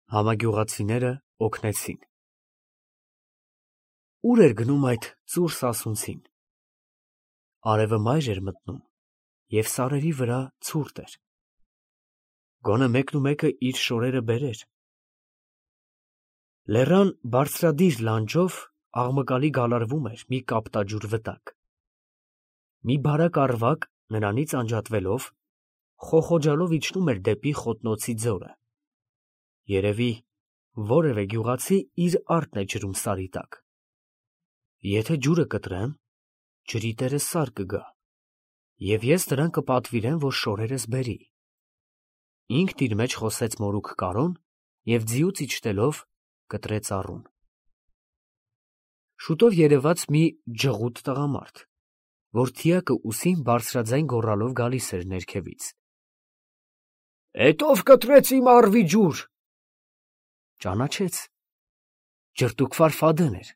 Համագյուղացիները օգնեցին։ Ուր էր գնում այդ ծուր սասունցին։ Արևը մայր էր մտնում, և սարերի վրա ցուրտ էր։ Գոնե մեկնումեկը իր շորերը բերեր։ Լեռան բարձրադիր լանջով աղմկալի գալարվում էր մի կապտաջուր վտակ։ Մի բարակ առվակ, նրանից անջատվելով, խոխոջալով իջնում էր դեպի խոտնոցի ձորը։ Երևի, որևէ գյուղացի իր արտն է ջրում սարի տակ։ Եթե ջուրը կտրեմ, ջրի տերը սար կգա, և ես նրան կպատվիրեմ, որ շորերս բերի։ Ինքն իր մեջ խոսեց մորուք Կարոն և ձիուց իջնելով կտրեց առուն։ Շուտով երևաց մի ջղուտ տղամարդ, որ թիակը ուսին բարձրաձայն գոռալով գալիս էր ներքևից։ «Էդ ով կտրեց իմ առվի ջուր»։ Ճանաչեց. Ջրտուկվար Ֆադեն էր։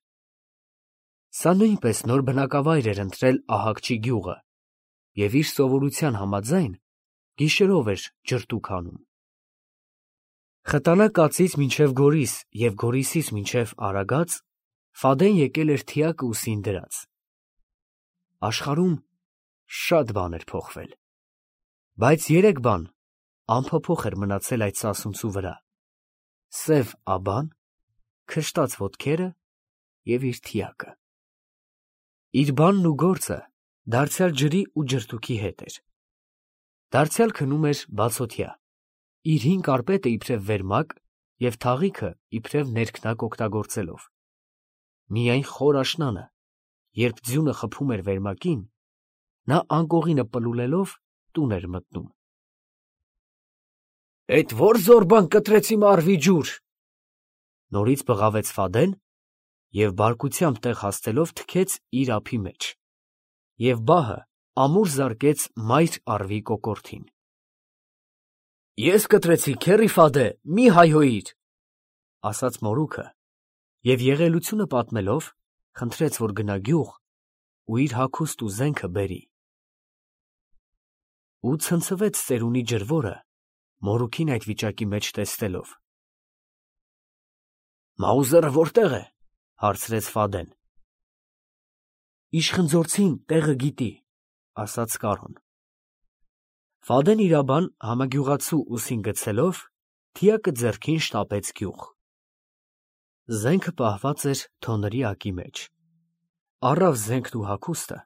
Սա նույնպես նոր բնակավայր էր ընտրել Ահակչի գյուղը և իր սովորության համաձայն գիշերով էր ջրտուկ հանում։ Խտանա կացից մինչև Գորիս և Գորիսից մինչև Արագած Ֆադեն եկել էր թիակը ուսին դրած։ Աշխարհում շատ բան էր փոխվել, բայց երեք բան անփոփոխ էր մնացել այդ սասունցու վրա՝ սև աբան, քշտած ոտքերը և իր թիակը։ Իր բանն ու գործը դարձյալ ջրի ու ջրտուկի հետ էր։ Դարձյալ քնում էր բացօթյա, իր հին կարպետը իբրև վերմակ և թաղիքը իբրև ներքնակ օգտագործելով։ Միայն խոր աշնանը, երբ ձյունը խփում էր վերմակին, նա անկողինը պլուլելով տուն էր մտնում։ «Էդ ո՞ր զոր բան կտրեց իմ առվի ջուր»։ Նորից բղավեց Ֆադեն և բարկությամբ տեղ հասցելով թքեց իր ափի մեջ, և բահը ամուր զարկեց մայր առվի կոկորդին։ «Ես կտրեցի, քեռի Ֆադե, մի հայհոյիր», ասաց մորուքը և եղելությունը պատմելով խնդրեց, որ գնա գյուղ ու իր հագուստն ու զենքը բերի։ Ու ցնցվեց ծերունի ջրվորը մորուքին այդ վիճակի մեջ տեսնելով։ «Մաուզերը որտե՞ղ է», հարցրեց Ֆադեն։ «Իշխխնձորցին տեղը գիտի», ասաց Կարոն։ Ֆադեն իրաբան համագյուղացու ուսին գցելով, թիակը ձեռքին շտապեց գյուղ։ Զենքը պահված էր թոնրի ակի մեջ։ Առավ զենքն ու հագուստը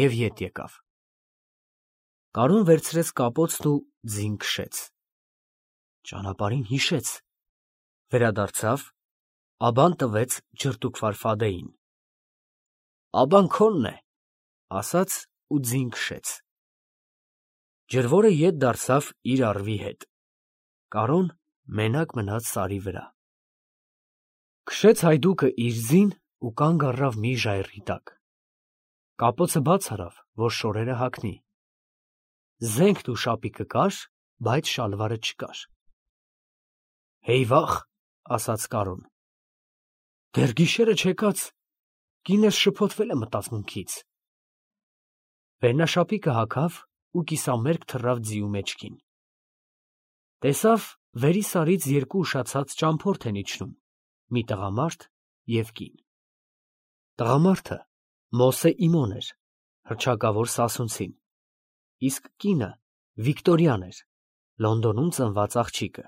և ետ եկավ։ Կարոն վերցրեց կապոցն ու ձին քշեց։ Ճանապարհին հիշեց, վերադարձավ, աբան տվեց ջրտուկվար Ֆադեին։ «Աբան քոնն է», ասաց ու ձին քշեց։ Ջրվորը ետ դարձավ իր առվի հետ։ Կարոն մենակ մնաց սարի վրա։ Քշեց հայդուկը իր ձին ու կանգ առավ մի ժայռի տակ։ Կապոցը բաց արավ, որ շորերը հագնի։ Զենքն ու շապիկը կար, բայց շալվարը չկար։ «Հեյ վա՜խ», ասաց Կարոն, դեռ գիշերը չեկած, կինս շփոթվել է մտածմունքից։ Վերնաշապիկը հագավ ու կիսամերկ թռավ ձիու մեջքին։ Տեսավ վերի սարից երկու ուշացած ճամփորդ են իջնում, մի տղամարդ և կին։ Տղամարդը Մոսե Իմոն էր, հռչակավոր սասունցին, իսկ կինը Վիկտորյան էր, Լոնդոնում ծնված աղջիկը։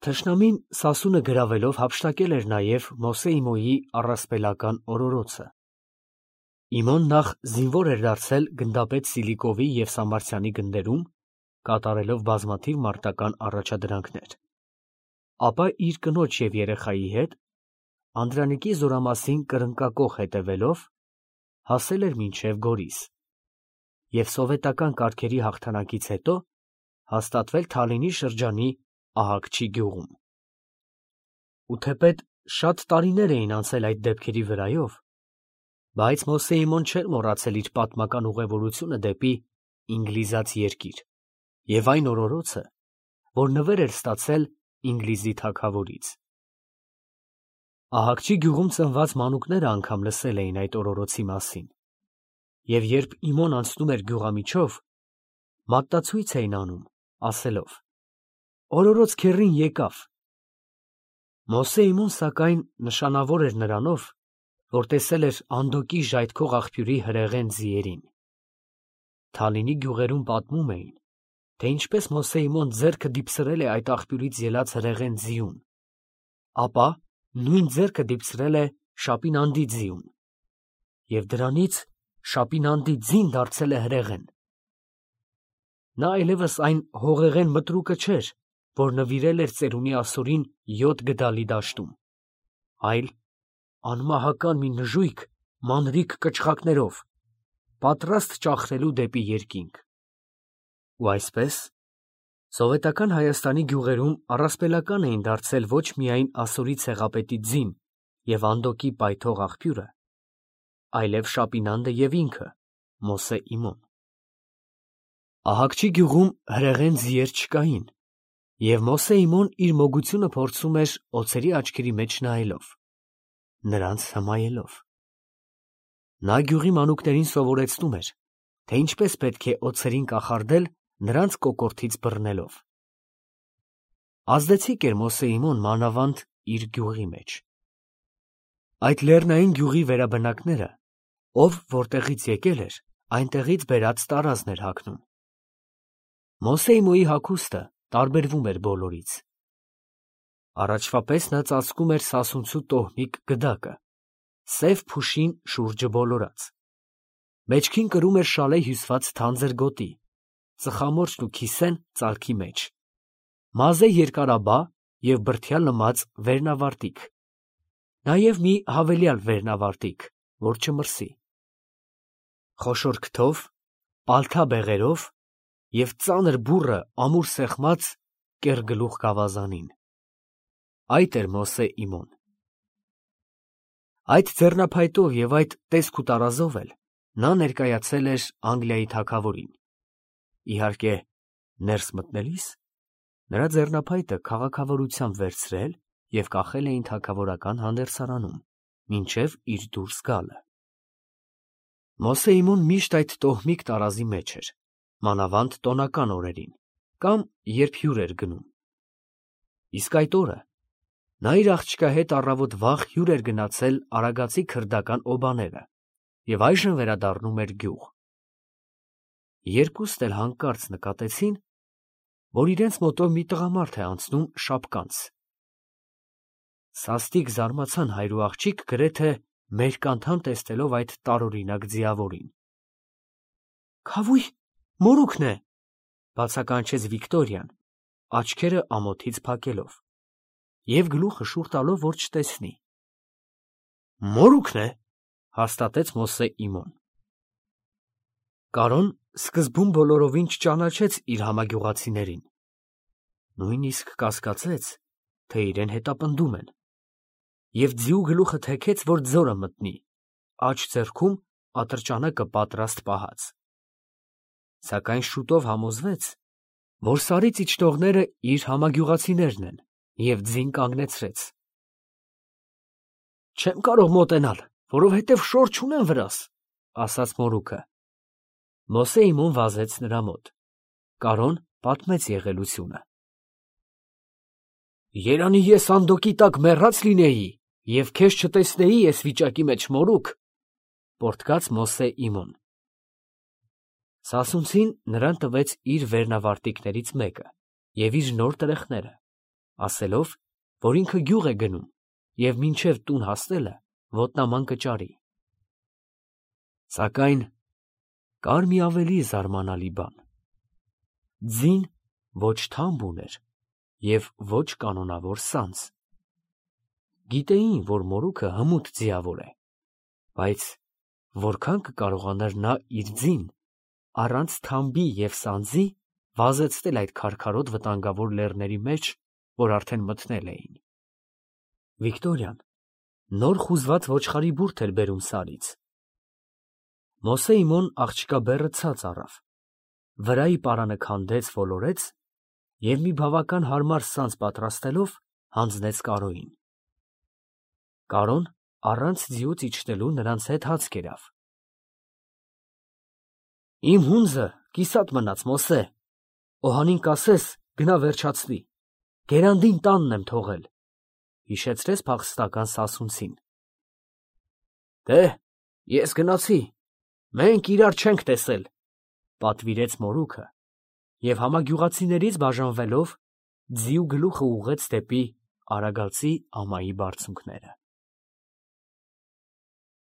Թշնամին սասունը գրավելով հափշտակել էր նաև Մոսե Իմոյի առասպելական օրորոցը։ Իմոն նախ զինվոր էր դարձել գնդապետ Սիլիկովի և Սամարսյանի գնդերում, կատարելով բազմաթիվ մարտական առաջադրանքներ, ապա իր կնոջ և երեխայի հետ, Անդրանիկի զորամասին կրնկակոխ հետևելով, հասել էր մինչև Գորիս և սովետական կարգերի հաղթանակից հետո հաստատվել Թալինի շրջանի Ահակչի գյուղում։ Ու թեպետ շատ տարիներ էին անցել այդ դեպքերի վրայով, բայց Մոսե Իմոն չէր մոռացել իր պատմական ուղևորությունը դեպի Ինգլիզաց երկիր և այն օրորոցը, որ նվեր էր ստացել Ինգլիզի թագավորից։ Ահակչի գյուղում ծնված մանուկները անգամ լսել էին այդ օրորոցի մասին, և երբ Իմոն անցնում էր գյուղամիջով, մատնացույց էին անում, ասելով. «Օրորոց քեռին եկավ, Մոսեիմուն սակայն նշանավոր էր նրանով, որ տեսել էր Անդոկի ժայթքող աղբյուրի հրեղեն ձիերին։ Թալինի գյուղերում պատմում էին, թե ինչպես Մոսեիմոն ձեռքը դիպսրել է այդ աղբյուրից ելած հրեղեն ձիուն, ապա նույն ձեռքը դիպսրել է Շապինանդի ձիուն, և դրանից Շապինանդի ձին դարձել է հրեղեն։ Նա այլևս այն հողեղեն մտրուկը չէր, որ նվիրել էր ծերունի Ասորին 7 գդալի դաշտում, այլ անմահական մի նժույգ մանրիկ կչխակներով, պատրաստ ճախրելու դեպի երկինք։ Ու այսպես, սովետական Հայաստանի գյուղերում առասպելական էին դարձել ոչ միայն Ասորի ցեղապետի ձին և Անդոկի պայթող աղբյուրը, այլև Շապինանդը և ինքը, Մոսեիմոն։ Ահակչի գյուղում հրեղեն ձիեր չկային, և Մոսեիմոն իր մոգությունը փորձում էր օձերի աչքերի մեջ նայելով, նրանց հմայելով։ Նա գյուղի մանուկներին սովորեցնում էր, թե ինչպես պետք է օձերին կախարդել նրանց կոկորդից բռնելով։ Ազդեցիկ էր Մոսեիմոն մանավանդ իր գյուղի մեջ։ Այդ լեռնային գյուղի վերաբնակները, ով որտեղից եկել էր, այնտեղից բերած տարազն էր հագնում։ Մոսեիմոյի հագուստը տարբերվում էր բոլորից։ Առաջվա պես նա ծածկում էր սասունցու տոհմիկ գդակը, սև փուշին շուրջը բոլորած։ Մեջքին կրում էր շալե հյուսված թանձր գոտի, ծխամորճն ու քիսեն ծալքի մեջ, մազե երկարաբա և բրդյալ լմած վերնավարտիք, նաև մի հավելյալ վերնավարտիք, որ չմրսի։ Խոշոր քթով, պալթա բեղերով և ծանր բուռը ամուր սեղմած կեռգլուխ գավազանին։ Այդ էր Մոսեիմոն։ Այդ ձեռնափայտով և այդ տեսք ու տարազով էլ նա ներկայացել էր Անգլիայի թագավորին։ Իհարկե, ներս մտնելիս նրա ձեռնափայտը քաղաքավարությամբ վերցրել և կախել էին թագավորական հանդերձարանում, մինչև իր դուրս գալը։ Մոսեիմոն միշտ այդ տոհմիկ տարազի մեջ էր, մանավանդ տոնական օրերին, կամ երբ հյուր էր գնում։ Իսկ այդ օրը նա իր աղջկա հետ առավոտ վաղ հյուր էր գնացել Արագածի քրդական օբաները և այժմ վերադառնում էր գյուղ։ Երկուստ էլ հանկարծ նկատեցին, որ իրենց մոտով մի տղամարդ է անցնում շապկանց։ Սաստիկ զարմացան հայր ու աղջիկ գրեթե մերկ անդամ տեսնելով այդ տարօրինակ ձիավորին։ «Քավույ, մորուքն է», բացականչեց Վիկտորիան, աչքերը ամոթից փակելով և գլուխը շուռ տալով, որ չտեսնի։ «Մորուքն է», հաստատեց Մոսեիմոն։ Կարոն սկզբում բոլորովին չճանաչեց իր համագյուղացիներին, նույնիսկ կասկածեց, թե իրեն հետապնդում են, և ձիու գլուխը թեքեց, որ ձորը մտնի, աջ ձեռքում ատրճանակը պատրաստ պահած։ Սակայն շուտով համոզվեց, որ Սարից իջնողները իր համագյուղացիներն են, և ձին կանգնեցրեց։ «Չեմ կարող մոտենալ, որովհետև շոր չունեմ վրաս», ասաց մորուքը։ Մոսեիմոն վազեց նրա մոտ։ Կարոն պատմեց եղելությունը։ «Երանի ես Անդոկի տակ մեռած լինեի և քեզ չտեսնեի էս վիճակի մեջ, մորուք», պոռթկաց Մոսեիմոն։ Սասունցին նրան տվեց իր վերնավարտիքներից մեկը և իր նոր տրեխները, ասելով, որ ինքը գյուղ է գնում և մինչև տուն հասնելը ոտնաման կճարի։ Սակայն կար մի ավելի զարմանալի բան. ձին ոչ թամբ ուներ և ոչ կանոնավոր սանձ։ Գիտեին, որ մորուքը հմուտ ձիավոր է, բայց որքան կկարողանար նա իր ձին առանց թամբի և սանձի վազեցնել այդ քարքարոտ վտանգավոր լեռների մեջ, որ արդեն մտնել էին։ Վիկտորիան նոր խուզված ոչխարի բուրդ էր բերում Սարից։ Մոսեիմոն աղջկա բեռը ցած առավ, վրայի պարանը քանդեց, ոլորեց և մի բավական հարմար սանձ պատրաստելով հանձնեց Կարոյին։ Կարոն առանց ձիուց իջնելու նրանց հետ հաց կերավ։ «Իմ հունձը կիսատ մնաց, Մոսե, օհանին կասես, գնա վերջացնի, գերանդին տանն եմ թողել, հիշեցրեց փախստական սասունցին։ Դե, ես գնացի, մենք իրար չենք տեսել, պատվիրեց մորուքը և համագյուղացիներից բաժանվելով, ձիու գլուխը ուղղեց դեպի արագածի ամայի բարձունքները։